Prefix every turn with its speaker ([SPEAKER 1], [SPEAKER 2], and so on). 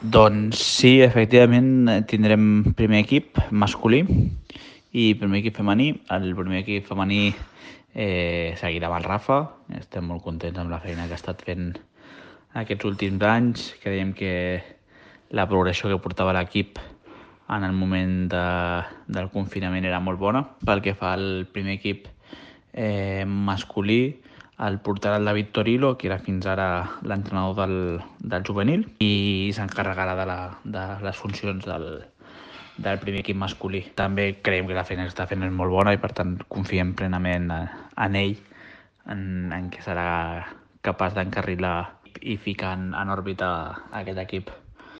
[SPEAKER 1] Doncs sí, efectivament tindrem primer equip masculí i primer equip femení. El primer equip femení seguirà amb el Rafa. Estem molt contents amb la feina que ha estat fent aquests últims anys. Creiem que la progressió que portava l'equip en el moment del confinament era molt bona. Pel que fa al primer equip masculí, el portarà el David Torilo, que era fins ara l'entrenador del juvenil, i s'encarregarà de les funcions del primer equip masculí. També creiem que la feina que està fent és molt bona i per tant confiem plenament en ell, en què serà capaç d'encarrilar i ficar en òrbita aquest equip.